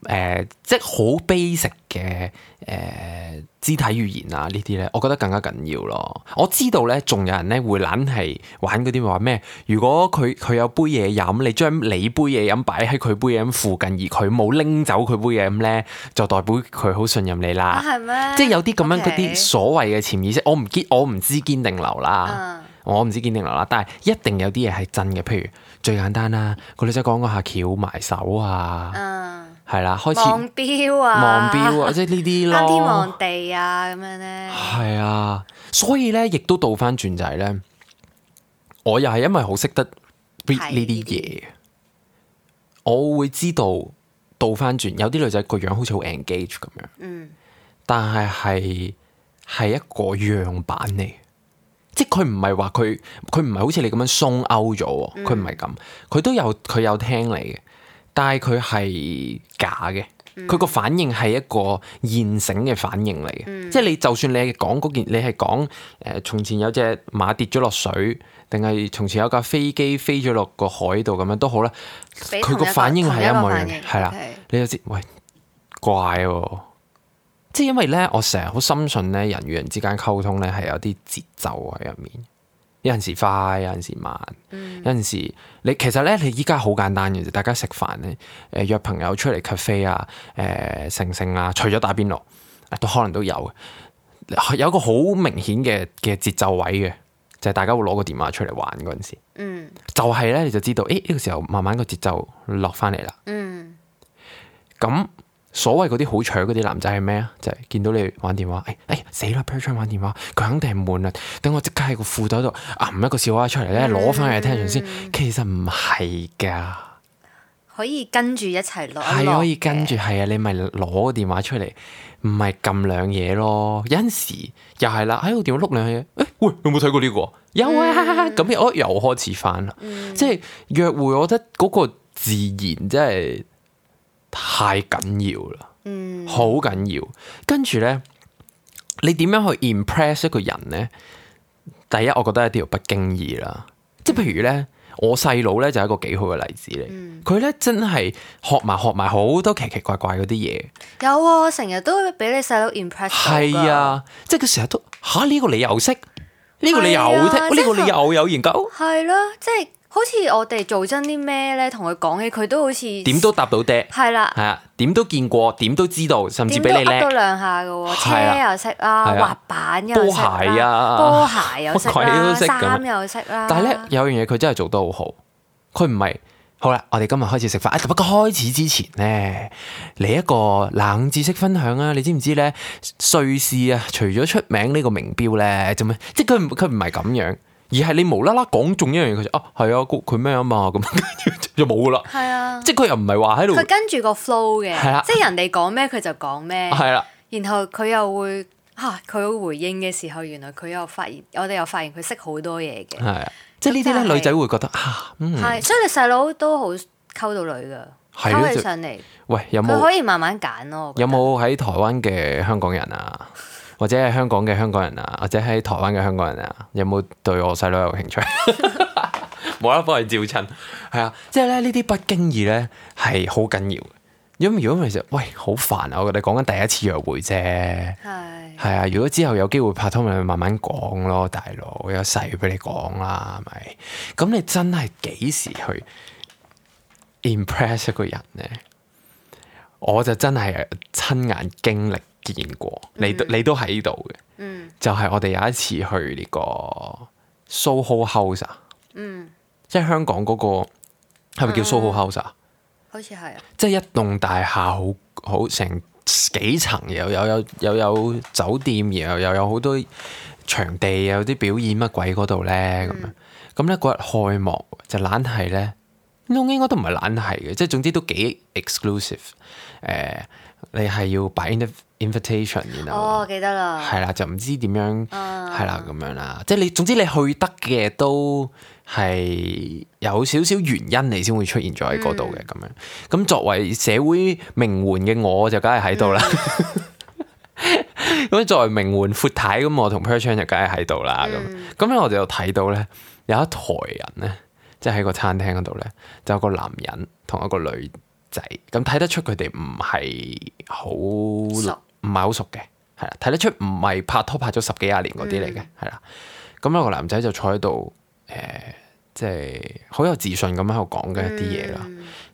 誒，即係好 basic 嘅誒肢體語言啊呢啲咧，我覺得更加緊要咯。我知道咧，仲有人咧會懶係玩嗰啲話咩？如果佢佢有杯嘢飲，你將你杯嘢飲擺喺佢杯嘢飲附近，而佢冇拎走佢杯嘢飲咧，就代表佢好信任你啦。啊，係咩？即係有啲咁樣嗰啲 Okay 所謂嘅潛意識，我唔堅，我唔知堅定流啦，嗯我唔知堅定流啦，但係一定有啲嘢係真嘅，譬如最簡單啦，個女仔講嗰下翹埋手啊，嗯，係啦，開始望錶啊，望錶啊，即係呢啲啱天咯，望地啊咁樣咧，係啊，所以咧亦都倒翻轉就係咧，我又係因為好識得 read 呢啲嘢，我會知道倒翻轉有啲女仔個樣好似好 engage 咁樣，嗯，但係係係一個樣板嚟。即係佢唔係話佢佢唔係好似你咁樣鬆勾咗，佢唔係咁，佢都有佢有聽你嘅，但係佢係假嘅，佢個、嗯、反應係一個現成嘅反應嚟嘅，嗯、即係你就算你係講嗰件，你係講誒從前有隻馬跌咗落水，定係從前有架飛機飛咗落個海度咁樣都好啦，佢個反應係一模一樣嘅，係啦，你就知喂怪喎、啊。即係因為咧，我成日好深信咧，人與人之間溝通咧係有啲節奏喺入面，有陣時快，有陣時慢，嗯、有陣時你其實咧，你依家好簡單嘅啫，大家食飯咧，誒、呃、約朋友出嚟 cafe 啊，誒、呃、成成啊，除咗打邊爐，都可能都有，有一個好明顯嘅嘅節奏位嘅，就係、是、大家會攞個電話出嚟玩嗰陣時，嗯、就係咧你就知道，誒、欸、呢、這個時候慢慢個節奏落翻嚟啦，咁、嗯。所謂嗰啲好搶嗰啲男仔係咩啊？就係、是、見到你玩電話，誒、哎、誒死啦 per 玩電話，佢肯定係悶啦。等我即刻喺個褲袋度揞一個笑話出嚟咧，攞翻嚟聽完先。其實唔係㗎，可以跟住一齊攞，係可以跟住，係啊，你咪攞個電話出嚟，唔係撳兩嘢咯。有陣時又係啦，喺個電話碌兩嘢，誒、哎、喂，有冇睇過呢、這個？有啊，咁、嗯、我又開始翻啦。嗯、即係約會，我覺得嗰個自然真係。太緊要啦，嗯，好緊要。跟住咧，你點樣去 impress 一個人咧？第一，我覺得一定要不經意啦。即係譬如咧，我細佬咧就係一個幾好嘅例子嚟。佢咧、嗯、真係學埋學埋好多奇奇怪怪嗰啲嘢。有啊，成日都俾你細佬 impress 到㗎。係啊，即係佢成日都吓呢、這個你又識，呢、這個你又聽，呢、啊、個你又有研究。係咯，即係。好似我哋做真啲咩咧，同佢講起佢都好似點都答到爹，係啦，係啊，點都見過，點都知道，甚至比你叻，噏到兩下嘅喎，車又識啦，滑板又識啦，波鞋啊，波鞋又識啦，衫又識啦。但係咧有樣嘢佢真係做得好好，佢唔係好啦，我哋今日開始食飯。啊，不過開始之前咧，嚟一個冷知識分享啊！你知唔知咧？瑞士啊，除咗出名呢個名錶咧，做咩？即係佢唔佢唔係咁樣。而係你無啦啦講中一樣嘢，佢就啊係啊，佢咩啊嘛，咁就冇噶啦。係啊，即係佢又唔係話喺度。佢跟住個 flow 嘅，係啊，即係人哋講咩佢就講咩。係啦，然後佢又會嚇佢回應嘅時候，原來佢又發現，我哋又發現佢識好多嘢嘅。係啊，即係呢啲咧，女仔會覺得啊，嗯，係，所以你細佬都好溝到女㗎，溝起上嚟。喂，有冇佢可以慢慢揀咯？有冇喺台灣嘅香港人啊？或者係香港嘅香港人啊，或者喺台灣嘅香港人啊，有冇對我細佬有興趣？冇啦，幫佢照親。係啊，即係咧呢啲不經意咧係好緊要嘅。因為如果其實喂好煩啊，我覺得講緊第一次約會啫。係係啊，如果之後有機會拍拖，咪慢慢講咯，大佬有細俾你講啦，係咪？咁你真係幾時去 impress 一個人咧？我就真係親眼經歷。見過，你都你都喺度嘅，嗯、就係我哋有一次去呢個 Soho House 啊，嗯、即係香港嗰、嗰個係咪叫 Soho House 啊？好似係啊，即係一棟大廈，好好成幾層，又有有又有酒店，然後又有好多場地，有啲表演乜鬼嗰度咧咁樣。咁咧嗰日開幕就懶係咧，應該都唔係懶係嘅，即係總之都幾 exclusive。誒、呃，你係要擺 inv invitation，然後哦，記得啦，係啦，就唔知點樣啊係啦咁樣啦。即係你總之你去得嘅都係有少少原因，你先會出現咗喺嗰度嘅咁樣。咁作為社會名媛嘅我就梗係喺度啦。咁作為名媛闊太咁，我同 Perchan 就梗係喺度啦。咁咁咧我哋就睇到咧有一台人咧，即係喺個餐廳嗰度咧，就有個男人同一個女仔，咁睇得出佢哋唔係好熟唔係好熟嘅，係啦，睇得出唔係拍拖拍咗十幾廿年嗰啲嚟嘅，係啦、嗯。咁有個男仔就坐喺度，誒、呃，即係好有自信咁喺度講緊一啲嘢啦。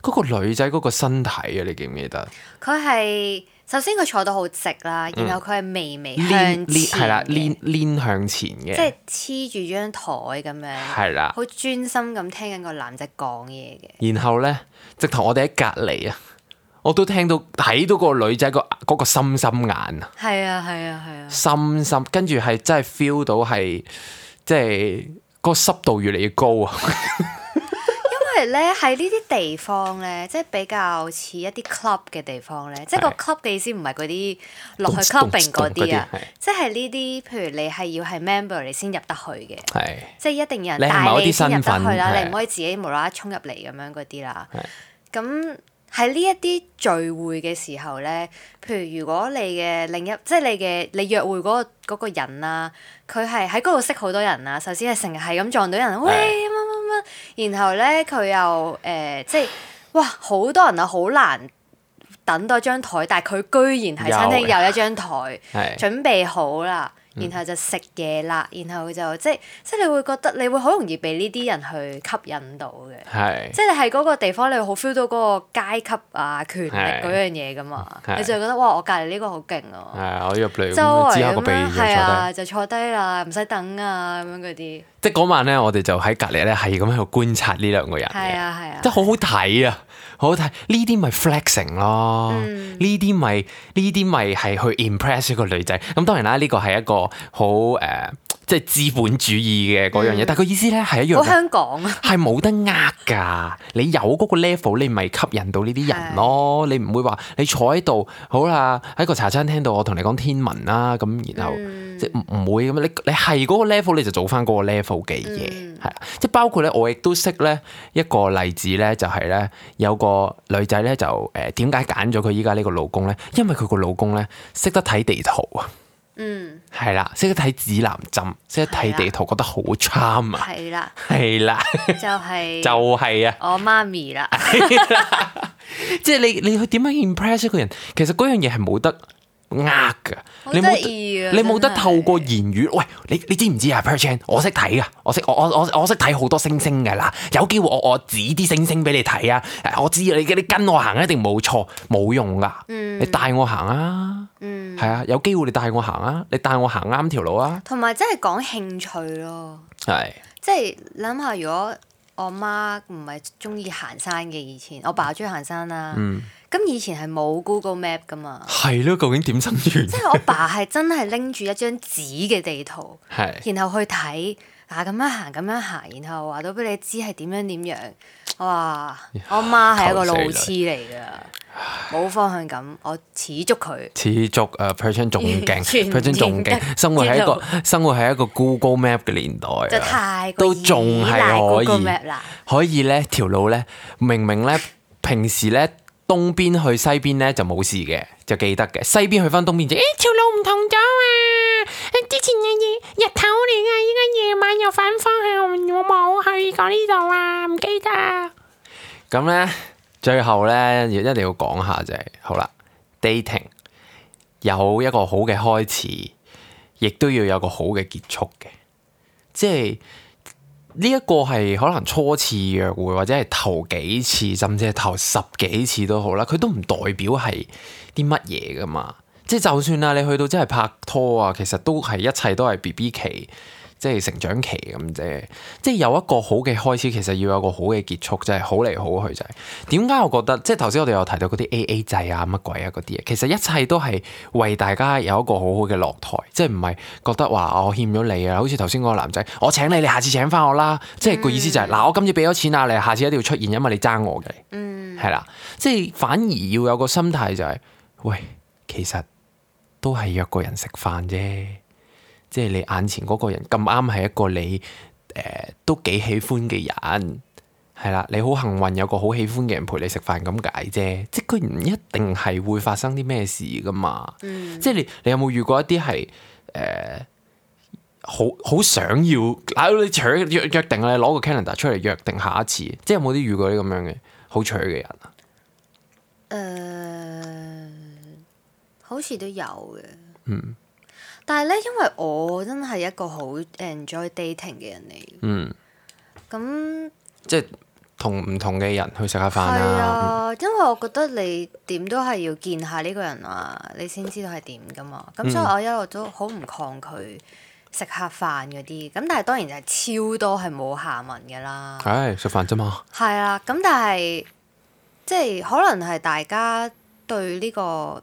嗰、嗯、個女仔嗰個身體啊，你記唔記得？佢係首先佢坐到好直啦，然後佢係微微向前，係啦、嗯，攣攣向前嘅，即係黐住張台咁樣，係啦，好專心咁聽緊個男仔講嘢嘅。然後咧，直頭我哋喺隔離啊！我都聽到睇到個女仔個嗰個心心眼啊，係啊係啊係啊，心心跟住係真係 feel 到係即係個濕度越嚟越高啊！因為咧喺呢啲地方咧，即係比較似一啲 club 嘅地方咧，即係個 club 嘅意思唔係嗰啲落去 clubbing 嗰啲啊，即係呢啲譬如你係要係 member 你先入得去嘅，係即係一定有人帶你先入得去啦，你唔可以自己無啦啦衝入嚟咁樣嗰啲啦，咁。喺呢一啲聚會嘅時候咧，譬如如果你嘅另一即係你嘅你約會嗰、嗰個嗰個人啊，佢係喺嗰度識好多人啊。首先係成日係咁撞到人，喂乜乜乜，然後咧佢又誒、呃、即係哇好多人啊，好難等到張台，但係佢居然喺餐廳有一張台準備好啦。然後就食嘢啦，然後就即係即係你會覺得你會好容易被呢啲人去吸引到嘅，係即係你喺嗰個地方你會好 feel 到嗰個階級啊權力嗰樣嘢噶嘛，你就會覺得哇我隔離呢個好勁啊，係啊我入嚟周圍之後個鼻咁樣就係啊坐就坐低啦，唔使等啊咁樣嗰啲，即係嗰晚咧我哋就喺隔離咧係咁喺度觀察呢兩個人嘅，係啊係啊，即係好好睇啊！好好睇，呢啲咪 flexing 咯，呢啲咪呢啲咪係去 impress 一個女仔。咁當然啦，呢個係一個好誒、呃，即係資本主義嘅嗰樣嘢。嗯、但係個意思咧係一樣，好香港啊，係冇得呃㗎。你有嗰個 level，你咪吸引到呢啲人咯。是你唔會話你坐喺度，好啦，喺個茶餐廳度，我同你講天文啦，咁然後、嗯、即係唔唔會咁。你你係嗰個 level，你就做翻嗰個 level 嘅嘢，係、嗯、即係包括咧，我亦都識咧一個例子咧，就係、是、咧有個。個女仔咧就誒點解揀咗佢依家呢個老公咧？因為佢個老公咧識得睇地圖啊，嗯，係啦，識得睇指南針，識得睇地圖，覺得好 charm 啊，係啦，係啦，就係就係啊，我媽咪啦，即係你你去點樣 impress 一個人？其實嗰樣嘢係冇得呃噶，你冇你冇得透過言語。喂，你你知唔知啊 Perchan 我識睇噶，我識我我我我識睇好多星星噶啦。有機會我我指啲星星俾你睇啊！我知你你跟我行一定冇錯，冇用噶。嗯、你帶我行啊，係、嗯、啊，有機會你帶我行啊，你帶我行啱條路啊。同埋真係講興趣咯，係是，即係諗下如果我媽唔係中意行山嘅，以前我爸中意行山啦。嗯咁以前係冇 Google Map 噶嘛？係咯，究竟點生存？即係我爸係真係拎住一張紙嘅地圖，是然後去睇啊咁樣行咁樣行，然後話到俾你知係點樣點樣。哇！我媽係一個路痴嚟噶，冇方向感，我似足佢。似足啊 Perchan 仲勁 Perchan 仲勁，生活喺一個生活喺一個 Google Map 嘅年代啊，就太都仲係可以啦，可以咧條路咧，明明咧平時咧。東邊去西邊咧就冇事嘅，就記得嘅。西邊去翻東邊就，誒條路唔同咗啊！之前嘅嘢日頭嚟啊，依家夜晚又反方向，我冇去過呢度啊，唔記得。咁咧，最後咧一定要講下就係、是，好啦 ，dating 有一個好嘅開始，亦都要有個好嘅結束嘅，即係。呢一個係可能初次約會，或者係頭幾次，甚至係頭十幾次都好啦，佢都唔代表係啲乜嘢噶嘛。即係就算啊，你去到真係拍拖啊，其實都係一切都係 B B 期，即係成長期咁啫。即係有一個好嘅開始，其實要有個好嘅結束，就係好嚟好去就係。點解我覺得即係頭先我哋有提到嗰啲 A A 制啊乜鬼啊嗰啲嘢，其實一切都係為大家有一個好好嘅落台，即係唔係覺得話我欠咗你啊，好似頭先嗰個男仔，我請你，你下次請翻我啦，即係個意思就係、是、嗱、嗯、我今次俾咗錢啊，你下次一定要出現，因為你爭我嘅，嗯，係啦，即係反而要有個心態就係、是，喂，其實都係約個人食飯啫。即係你眼前嗰個人咁啱係一個你誒、呃、都幾喜歡嘅人，係啦，你好幸運有個好喜歡嘅人陪你食飯咁解啫。即係佢唔一定係會發生啲咩事噶嘛。嗯、即係你你有冇遇過一啲係誒好好想要嗱你搶約約定啊，你攞個 calendar 出嚟約定下一次，即係有冇啲遇過啲咁樣嘅好搶嘅人啊？誒、呃，好似都有嘅。嗯。但係咧，因為我真係一個好 enjoy dating 嘅人嚟。嗯。咁即係同唔同嘅人去食下飯係啊。啊，因為我覺得你點都係要見下呢個人啊，你先知道係點噶嘛。咁、嗯、所以我一路都好唔抗拒食下飯嗰啲。咁但係當然就係超多係冇下文嘅啦。係食飯啫嘛。係啊，咁但係即係可能係大家對呢個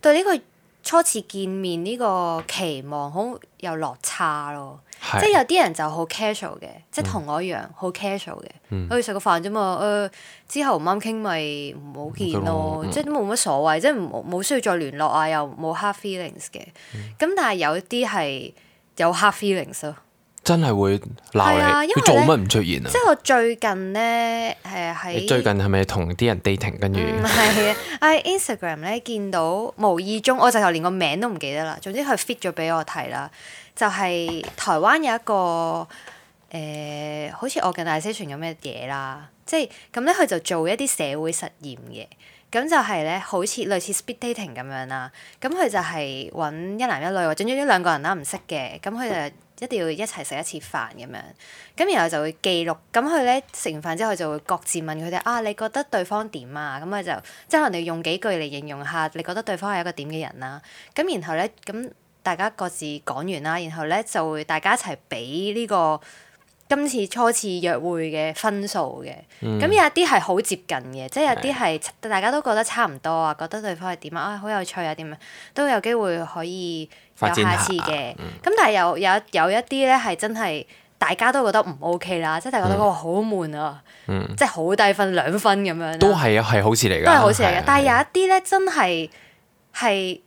對呢個初次見面呢個期望好有落差咯。係即係有啲人就好 casual 嘅，即係同我一樣好 casual 嘅，嗯去食個飯啫嘛。誒、呃、之後唔啱傾咪唔好見咯，嗯、即係都冇乜所謂，即係冇冇需要再聯絡啊，又冇 hard feelings 嘅。咁、嗯、但係有啲係有 hard feelings 咯。真係會鬧你，啊、因為佢做乜唔出現啊？即係我最近咧誒喺你最近係咪同啲人 dating 跟住？唔係啊，喺 Instagram 咧見到無意中，我就頭連個名都唔記得啦。總之佢 fit 咗俾我睇啦。就係台灣有一個誒、呃，好似 organisation 咁嘅嘢啦，即係咁咧，佢就做一啲社會實驗嘅，咁就係咧，好似類似 speed dating 咁樣啦。咁佢就係揾一男一女或者總之兩個人啦，唔識嘅，咁佢就一定要一齊食一次飯咁樣。咁然後就會記錄，咁佢咧食完飯之後就會各自問佢哋啊，你覺得對方點啊？咁佢就即係可能你用幾句嚟形容下，你覺得對方係一個點嘅人啦。咁然後咧咁。大家各自講完啦，然後咧就會大家一齊俾呢個今次初次約會嘅分數嘅。咁、嗯、有一啲係好接近嘅，即係有啲係大家都覺得差唔多啊，覺得對方係點啊，啊好有趣啊，點啊，都有機會可以有下次嘅。咁、嗯、但係有有有一啲咧係真係大家都覺得唔 OK 啦，即係大家都覺得好悶啊，嗯、即係好低分兩分咁樣。都係啊，係好事嚟㗎。都係好事嚟嘅，但係有一啲咧真係係。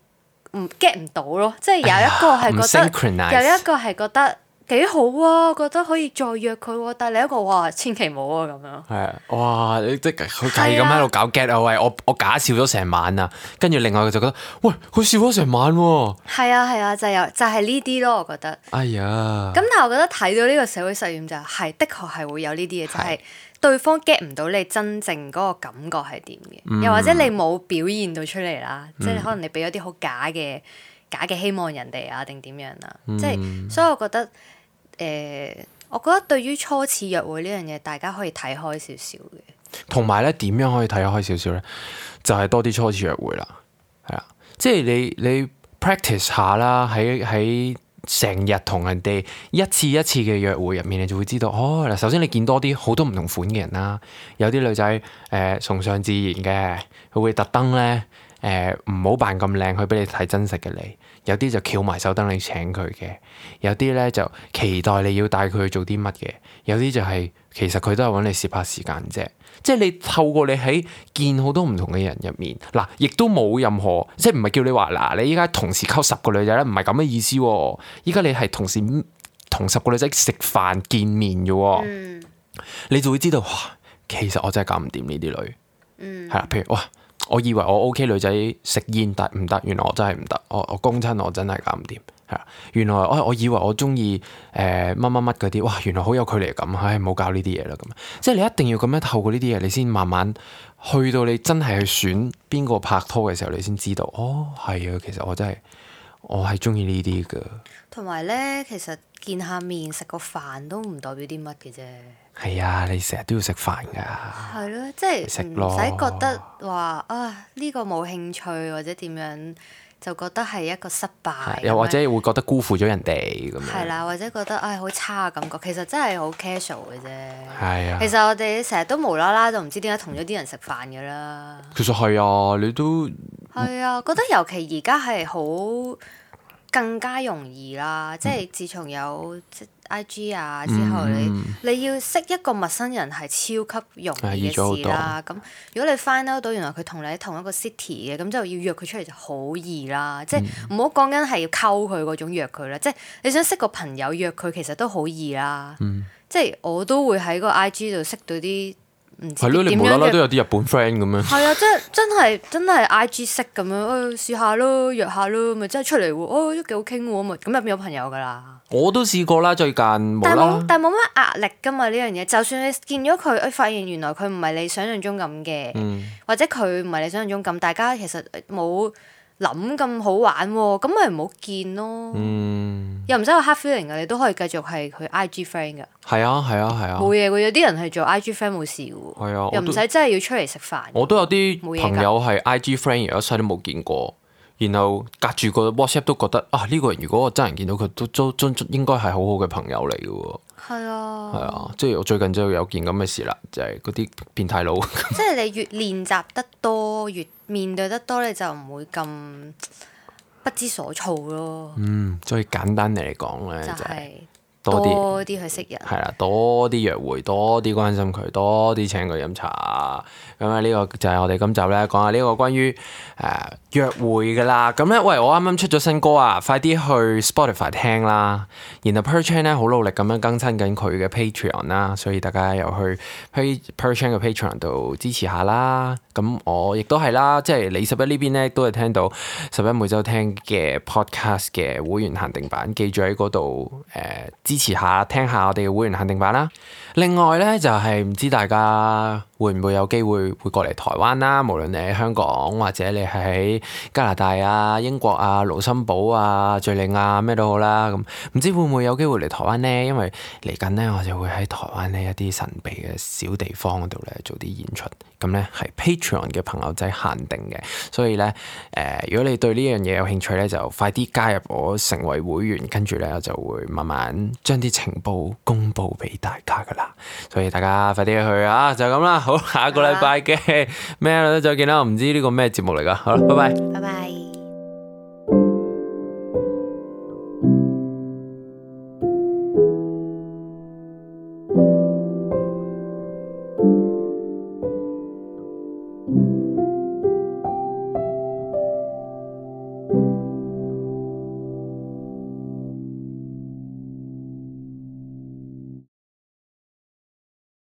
唔 get 唔到咯，即係有一個係覺得，哎、有一個係覺得幾好啊，覺得可以再約佢喎，但係另一個哇，千祈冇啊咁樣。係啊，哇！你即係佢係咁喺度搞 get 啊喂，我我假笑咗成晚啊，跟住另外佢就覺得，喂，佢笑咗成晚喎。係啊係啊，就有就係呢啲咯，我覺得。哎呀！咁但係我覺得睇到呢個社會實驗就係、是、的確係會有呢啲嘢，就係、是。對方 get 唔到你真正嗰個感覺係點嘅，嗯、又或者你冇表現到出嚟啦，嗯、即係可能你俾咗啲好假嘅假嘅希望人哋啊，定點樣啊？嗯、即係所以我覺得誒、呃，我覺得對於初次約會呢樣嘢，大家可以睇開少少嘅。同埋咧，點樣可以睇開少少咧？就係、是、多啲初次約會啦，係啦，即係你你 practice 下啦，喺喺。成日同人哋一次一次嘅約會入面，你就會知道哦。嗱，首先你見多啲好多唔同款嘅人啦，有啲女仔誒、呃、崇尚自然嘅，佢會特登咧誒唔好扮咁靚去俾你睇真實嘅你。有啲就翹埋手等你請佢嘅，有啲咧就期待你要帶佢去做啲乜嘅，有啲就係、是、其實佢都係揾你攝下時間啫。即係你透過你喺見好多唔同嘅人入面，嗱，亦都冇任何，即係唔係叫你話嗱，你依家同時溝十個女仔咧，唔係咁嘅意思喎。依家你係同時同十個女仔食飯見面嘅喎，嗯、你就會知道哇，其實我真係搞唔掂呢啲女，係啦、嗯。譬如哇，我以為我 OK 女仔食煙，但唔得，原來我真係唔得，我我公親我真係搞唔掂。原來我我以為我中意誒乜乜乜嗰啲，哇！原來好有距離感，唉，唔好搞呢啲嘢啦咁。即係你一定要咁樣透過呢啲嘢，你先慢慢去到你真係去選邊個拍拖嘅時候，你先知道，哦，係啊，其實我真係我係中意呢啲噶。同埋咧，其實見下面食個飯都唔代表啲乜嘅啫。係啊，你成日都要食飯噶。係咯，即係唔使覺得話啊呢個冇興趣或者點樣。就覺得係一個失敗，又或者會覺得辜負咗人哋咁樣。係啦，或者覺得唉好差嘅感覺，其實真係好 casual 嘅啫。係啊，其實我哋成日都無啦啦就唔知點解同咗啲人食飯㗎啦。其實係啊，你都係啊，覺得尤其而家係好更加容易啦，即係自從有 I G 啊，之後你、嗯、你要識一個陌生人係超級容易嘅事啦。咁如果你 find out 到原來佢同你喺同一個 city 嘅，咁就要約佢出嚟就好易啦。即係唔好講緊係要溝佢嗰種約佢啦，即係你想識個朋友約佢其實都好易啦。嗯、即係我都會喺個 I G 度識到啲。係咯，你無啦啦都有啲日本 friend 咁樣。係啊，即係真係真係 I G 識咁樣，誒、哎、試下咯，約下咯，咪真係出嚟喎，哦都幾好傾喎，咪咁入邊有朋友噶啦。我都試過啦，最近冇啦。但係冇但係冇乜壓力噶嘛呢樣嘢，就算你見咗佢，誒發現原來佢唔係你想象中咁嘅，嗯、或者佢唔係你想象中咁，大家其實冇諗咁好玩喎，咁咪唔好見咯。嗯、又唔使有 hard feeling 噶，你都可以繼續係佢 I G friend 噶。係啊係啊係啊。冇嘢喎，有啲人係做 I G friend 冇事喎。係啊，又唔使真係要出嚟食飯。我都有啲朋友係 I G friend，而一世都冇見過，然後隔住個 WhatsApp 都覺得啊呢、呢個人如果我真人見到佢，都都都應該係好好嘅朋友嚟嘅喎。係啊。係啊，即係我最近就有件咁嘅事啦，就係嗰啲變態佬。即係你越練習得多，越面對得多，你就唔會咁不知所措咯。嗯，所以簡單嚟講咧，就係、係。多啲多啲去識人，係啦，多啲約會，多啲關心佢，多啲請佢飲茶。咁啊，呢個就係我哋今集咧講下呢個關於誒、呃、約會噶啦。咁咧，喂，我啱啱出咗新歌啊，快啲去 Spotify 聽啦。然後 Perchan 咧好努力咁樣更新緊佢嘅 Patreon 啦，所以大家又去 Perchan 嘅 Patreon 度支持下啦。咁我亦都係啦，即係李十一呢邊咧都係聽到十一每週聽嘅 Podcast 嘅會員限定版，記住喺嗰度誒。呃支持下，聽下我哋嘅會員限定版啦。另外咧，就係、是、唔知大家會唔會有機會會過嚟台灣啦？無論你喺香港或者你喺加拿大啊、英國啊、盧森堡啊、敍利亞咩都好啦。咁唔知會唔會有機會嚟台灣呢？因為嚟緊咧，我就會喺台灣呢一啲神秘嘅小地方度咧做啲演出。咁咧係 Patreon 嘅朋友仔限定嘅，所以咧誒、呃，如果你對呢樣嘢有興趣咧，就快啲加入我成為會員，跟住咧我就會慢慢將啲情報公佈俾大家噶啦。所以大家快啲去啊！就咁啦，好，下一個禮拜嘅咩咧再見啦。我唔知呢個咩節目嚟噶，好啦，拜拜，拜拜。